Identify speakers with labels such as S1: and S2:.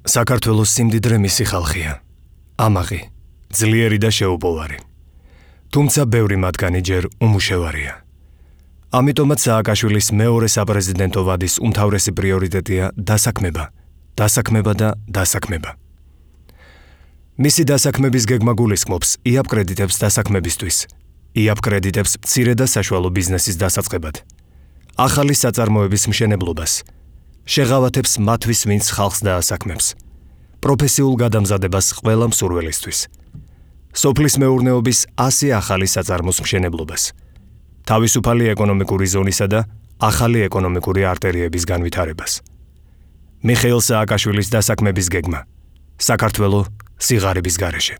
S1: საქართველოს სიმდიდრე მისი ხალხია. ამაღი, ძლიერი და შეუპოვარი. თუმცა ბევრი მათგანი ჯერ უმუშევარია. ამიტომაც სააკაშვილის მეორე საპრეზიდენტო ვადის უმთავრესი პრიორიტეტია დასაქმება, დასაქმება და დასაქმება. მისი დასაქმების გეგმა გულისხმობს იაპ კრედიტებს დასაქმებისთვის, იაპ კრედიტებს მცირე და საშუალო ბიზნესის დასაწყებად, ახალი საწარმოების მშენებლობას, შეღავათებს მათთვის, ვინც ხალხს დაასაქმებს, პროფესიულ გადამზადებას ყველა მსურველისთვის, სოფლის მეურნეობის 100 ახალი საწარმოს მშენებლობას, თავისუფალი ეკონომიკური ზონისა და ახალი ეკონომიკური არტერიების განვითარებას. მიხეილ სააკაშვილის დასაქმების გეგმა. საქართველო სიღარიბის გარეშე.